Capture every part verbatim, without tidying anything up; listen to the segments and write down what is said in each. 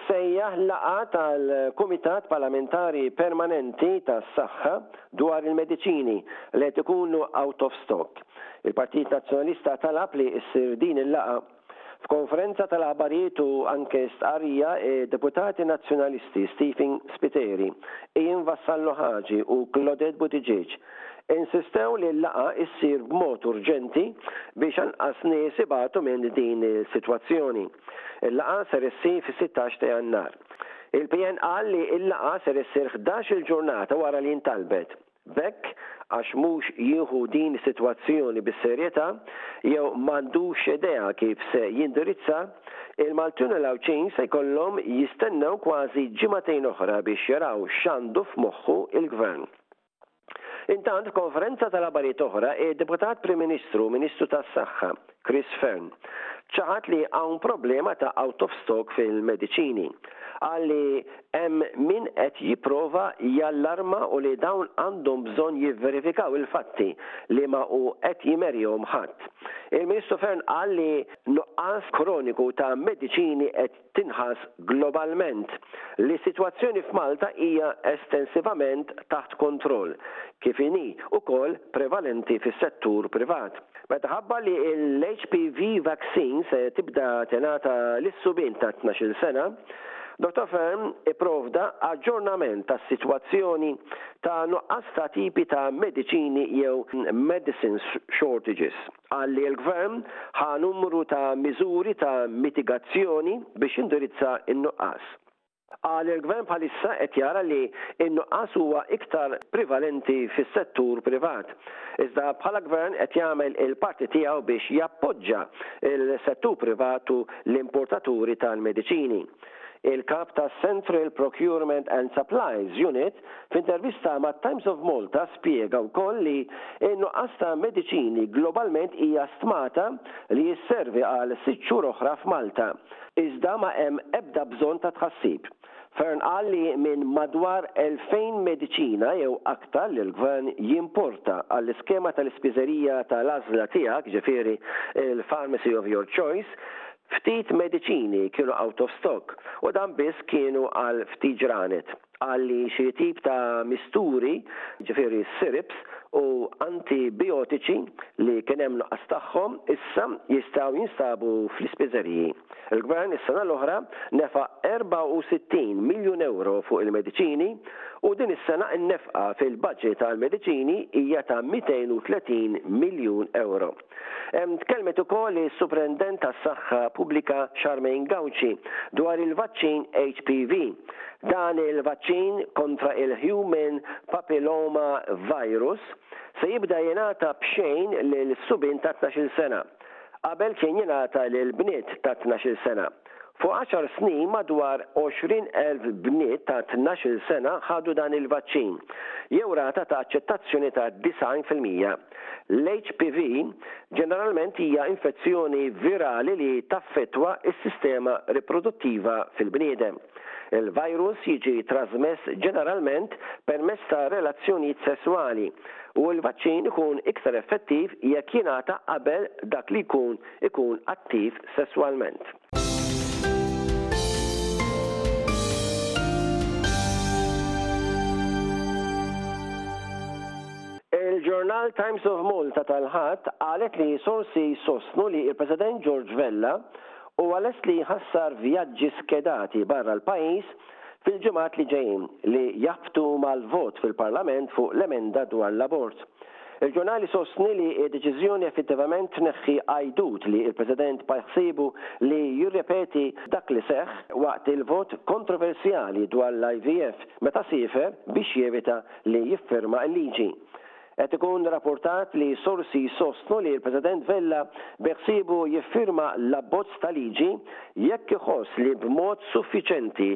sejjaħ laqgħa tal-Kumitat Parlamentari Permanenti tas-Saħħa dwar il-mediċini li qed ikunu out of stock. Il-Partit Nazzjonalista talab li ssir din il-laqgħa. F'konferenza tal-aħbarijiet u anke stqarrija, deputati nazzjonalisti Stephen Spiteri, Ian Vassallo Ħaġi u Claudette Buttigieg insistew li l-laqgħa issir b'mod urġenti biex anqas nies ibatu minn din is-sitwazzjoni. Il-laqgħa ser issir fis-sittax ta' Jannar. Il-P N qal li l-laqgħa ser issir ħdax il-ġurnata wara li intalbet. B'hekk, għax mhux jieħu din is-sitwazzjoni bis-serjetà jew m'għandux idea kif se jindirizza, il-Maltin u l-Għawdxin se jkollhom jistennew kważi ġimagħtejn oħra biex jaraw x'għandu f'moħħu il-Gvern. Intant, konferenza tal-aħbarijiet oħra, id-Deputat Prim Ministru, Ministru tas-Saħħa, Chris Fearne, ċaħad li hawn problema ta' out of stock fil-mediċini. Qal li hemm min qed jipprova jallarma u li dawn għandhom bżonn jivverifikaw il-fatti li ma hu qed jimerjhom ħadd. Il-Ministru Fearne qal li nuqqas kroniku ta' mediċini qed tinħass globalment, li s-sitwazzjoni f'Malta hija estensivament taħt kontroll, kif inhi ukoll prevalenti fis-settur privat. Meta ħabbar li l-H P V vaccine se tibda tingħata lis-subien ta' tnax-il sena, Doctor Fearne ipprovda aġġornament tas-sitwazzjoni ta' nuqqas ta' tipi ta' mediċini jew medicine shortages. Qal li l-gvern ħa numru ta' miżuri ta' mitigazzjoni biex indirizza n-nuqqas. Qal il-gvern bħalissa qed jara li n-nuqqas huwa iktar prevalenti fis-settur privat. Iżda bħala gvern qed jagħmel il-parti tiegħu biex jappoġġa il-settur privatu, l-importaturi tal-mediċini. Il-kap ta' Central Procurement and Supplies Unit f'intervista ma' Times of Malta spjega wkoll li n-nuqqas ta' mediċini globalment hija stmata li jisservi għal sitt xhur oħra f'Malta. Iżda ma hemm ebda bżonn ta' tħassib. Fearne qal li minn madwar elfejn mediċina jew aktar li l-gvern jimporta għall-iskema tal-ispiżerija tal-għażla tiegħek, ġifieri il-Pharmacy of Your Choice, ftit mediċini kienu out of stock u dan biss kienu għal ftit ġranet. Qal li xi tip ta' misturi, ġifieri syrups u antibiotiċi li kien hemm nuqqas tagħhom issa jistgħu jinstabu fl-ispiżeriji. Il-gvern is-sena l-oħra nefaq erbgħa u sittin miljun euro fuq il-mediċini u din is-sena n-nefqa fil-budget tal-mediċini hija ta' mitejn u tletin miljun euro. Tkellmet ukoll is-Suprintendent tas-Saħħa Pubblika Charmaine Gauci dwar il-vaċċin H P V. Dan il-vaċċin kontra il-Human Papilloma Virus se jibda jingħata b'xejn lil subien ta' tnax-il sena. Qabel kien jingħata lil bniet ta' tnax-il sena. Fuq għaxar snin, madwar għoxrin elf bniet ta' tnax-il sena ħadu dan il-vaċċin, jew rata ta' aċċettazzjoni ta' disgħin fil-mija. L-H P V ġeneralment hija infezzjoni virali li taffettwa s-sistema riproduttiva fil-bniedem. Il-virus jiġi trasmess ġeneralment permezz ta' relazzjonijiet sessuali u l-vaċċin ikun iktar effettiv jekk jingħata qabel dak li jkun ikun attiv sesswalment. Il-ġurnal Times of Malta tal-Ħadd qalet li sorsi sostnu li il-President George Vella huwa lest li jħassar vjaġġi skedati barra l-pajjiż fil-ġimgħat li ġejjin li jaħbtu mal-vot fil-Parlament fuq l-emenda dwar l-abort. Il-ġurnali sostni li d-deċiżjoni effettivament tneħħi għajdut li il-President beħsiebu li jirrepeti dak li seħ waqt il-vot kontroversjali dwar l-I V F meta siefer biex jevita li jiffirma l-liġi. Qed ikun rapportat li sorsi sostnu li l-President Vella beħsiebu jiffirma l-abbozz ta' liġi jekk iħoss li b'mod suffiċenti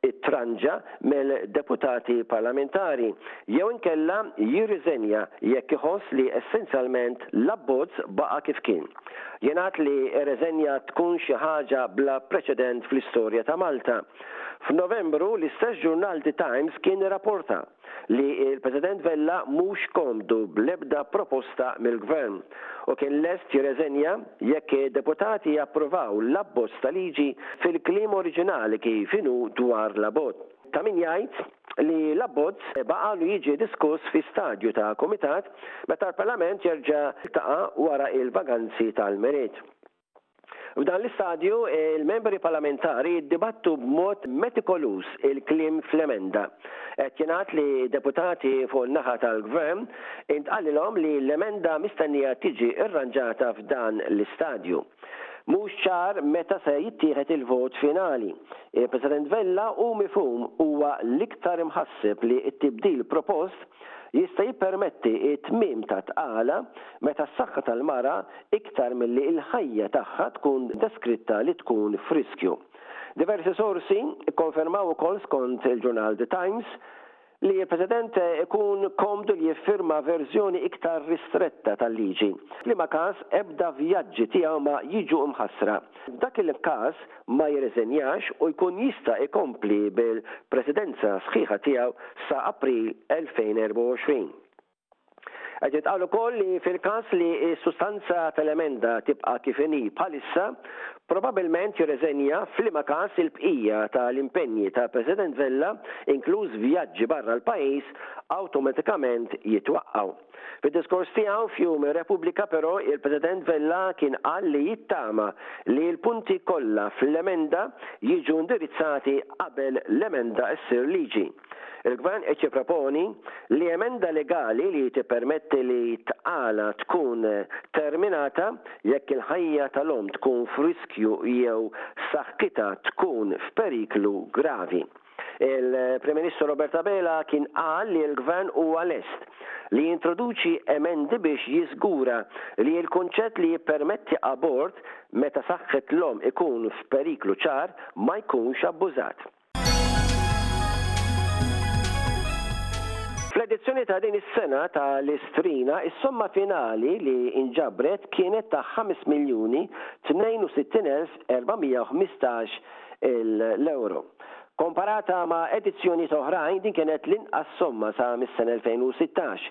it-tranġa mill-deputati parlamentari jew inkella jirriżenja jekk iħoss li essenzjalment l-abbozz baqa' kif kien. Jingħad li r-reżenja tkun xi ħaġa bla preċedent fl-istorja ta' Malta. F'Novembru, l-istess ġurnal The Times kien rapporta li l-President Vella mhux komdu bl-ebda proposta mill-Gvern u kien lest jirreżenja jekk id-deputati japprovaw l-abbozz ta' liġi fil-kliem oriġinali kif inhu dwar l-abort. Ta' min jgħid li l-abbozz baqalu jiġi diskuss fi stadju ta' kumitat meta l-Parlament jerġa' jiltaqa' wara l-vaganzi tal-Milied. F'dan l-istadju, il-membri parlamentari jiddibattu b'mod metikoluż il-kliem fl-emenda. Qed jingħad li deputati fuq in-naħa tal-Gvern intqalilhom li l-emenda mistennija tiġi rranġata f'dan l-istadju. Mhux ċar meta se jittieħed il-vot finali. Il-President Vella hu mifhum huwa l-iktar imħasseb li t-tibdil propost jista' jippermetti t-tmiem ta' tqala meta s-saħħa tal-mara iktar milli l-ħajja tagħha tkun deskritta li tkun f'riskju. Diversi sorsi kkonfermaw ukoll skont il-ġurnal The Times li l-President ikun komdu li jiffirma verżjoni iktar ristretta tal-liġi, f'liema każ ebda vjaġġi tiegħu ma jiġu mħassra. F'dak il-każ ma jirriżenjax u jkun jista' jkompli bil-presidenza sħiħa tiegħu sa April elfejn erbgħa u għoxrin. Qed jintqal ukoll li fil-każ li s-sustanza tal-emenda tibqa' kif inhi bħalissa, probabbilment jirreżenja f'liema każ il-bqija tal-impenji tal-President Vella, inkluż vjaġġi barra l-pajjiż, awtomatikament jitwaqqgħu. Fid-diskors tiegħu f'Jum ir-Repubblika però il-President Vella kien qal li jittama li l-punti kollha fl-emenda jiġu indirizzati qabel l-emenda ssir liġi. Il-Gvern qed jipproponi li emenda legali li tippermetti li tqala tkun terminata jekk il-ħajja tal-omm tkun f'riskju jew saħħitha tkun f'periklu gravi. Il-Prim Ministru Robert Abela kien qal li l-Gvern huwa lest li jintroduċi emendi biex jiżgura li l-kunċett li jippermetti abort meta saħħet l-omm ikun f'periklu ċar ma jkunx abbużat. Fl-edizzjoni ta' din is-sena ta' l-Istrina, is-somma finali li inġabret kienet ta' ħames miljuni tnejn u sittin elf erba' mija u ħmistax il-euro. Komparata ma' edizzjonijiet oħrajn, din kienet l-inqas somma sa mis-sena elfejn u sittax.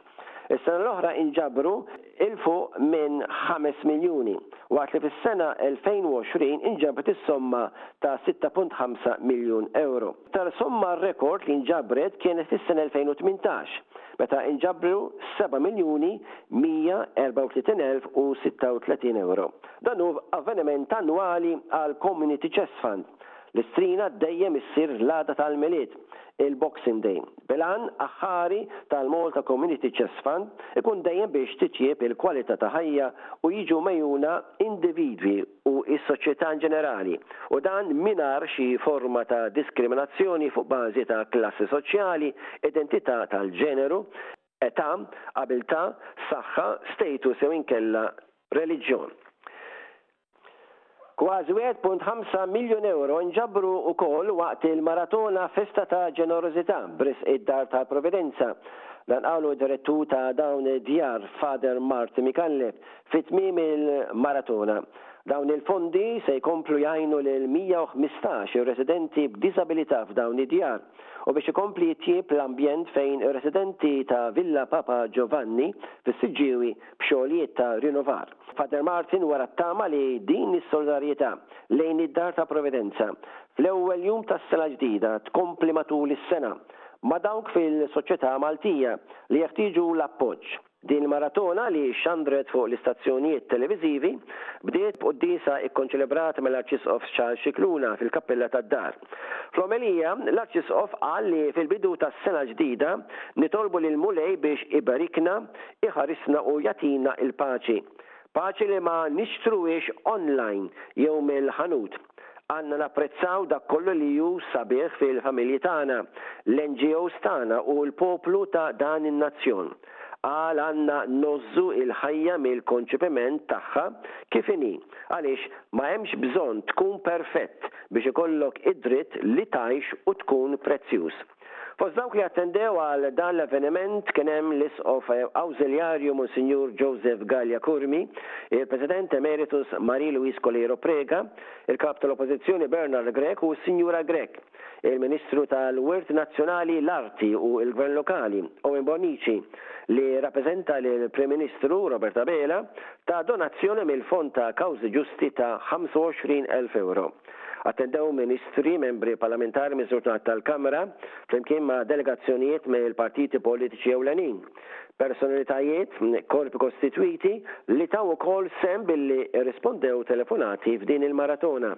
Is-sena l-oħra inġabru 'il fuq minn ħames miljuni, waqt li fis-sena elfejn u għoxrin inġabret is-somma ta' sitta punt ħamsa miljun euro. Iktar somma rekord li nġabret kienet fis-sena elfejn u tmintax, meta inġabru seba' miljuni mija erbgħa u tletin elf u sitta u tletin euro. Dan hu avveniment annwali għall-Community Chest Fund. L-Istrina dejjem issir l-għada tal-Milied, il-Boxing Day. Bil-għan aħħari tal-Malta Community Chest Fund ikun dejjem biex titjieb il-kwalità ta' ħajja u jiġu megħjuna individwi u s-soċjetà in ġenerali, u dan mingħajr xi forma ta' diskriminazzjoni fuq bażi ta' klassi soċjali, identità tal-ġeneru, età, abilità, saħħa, status jew inkella reliġjon. Kważi wieħed punt ħamsa miljun euro nġabru wkoll waqt il-maratona Festa ta' Ġenerożità b'risq id-Dar tal-Providenza. Dan qalu d-direttur ta' dawn id-djar Father Martin Micallef fi tmiem il-maratona. Dawn il-fondi se jkomplu jgħinu lil mija u ħmistax ir-residenti b'diżabilità f'dawn id-djar u biex ikompli jitjieb l-ambjent fejn ir-residenti ta' Villa Papa Giovanni fis-Siġġiewi b'xogħlijiet ta' rinnovar. Father Martin wera t-tama li din is-solidarjetà lejn id-Dar ta' Providenza fl-ewwel jum tas-sena l-ġdida tkompli matul is-sena ma' dawk fil-soċjetà Maltija li jeħtieġu l-appoġġ. Din il-maratona li xandret fuq l-istazzjonijiet televiżivi bdiet b'quddiesa kkonċelebrata mill-Arċisqof Charles Scicluna fil-kappella tad-dar. Fl-omelija, l-Arċisqof qal li fil-bidu tas-sena l-ġdida nitolbu lill-Mulej biex iberikna, iħarisna u jagħtina l-paċi. Paċi li ma nixtruhiex online jew mill-ħanut. Għandna napprezzaw dak kollu li hu sabiħ fil-familji tagħna, l-N G Os tagħna u l-poplu ta' dan in-nazzjon. Qal għandna ngħożżu l-ħajja mill-konċepiment tagħha kif inhi, għaliex ma hemmx bżonn tkun perfett biex ikollok id-dritt li tgħix u tkun prezzjuż. Fost dawk li attendew għal dan l-avveniment kien hemm l-Isqof Awżiljarju Monsinjur Joseph Galea Curmi, il-President Emeritus Marie Louise Coleiro Preca, il-Kap tal-Oppożizzjoni Bernard Grech u s-Sinjura Grech, il-Ministru tal-Wirt Nazzjonali, l-Arti u l-Gvern Lokali Owen Bonnici, li rappreżenta lill-Prim Ministru Robert Abela, ta donazzjoni mill-Fond ta' Kawżi Ġusti ta' ħamsa u għoxrin elf euro. Attendew ministri, membri parlamentari miż-żewġ tal-Kamra, flimkien ma' delegazzjonijiet mill-partiti politiċi ewlenin, personalitajiet, korpi kostitwiti li taw ukoll sehem billi rispondew telefonati f'din il-maratona.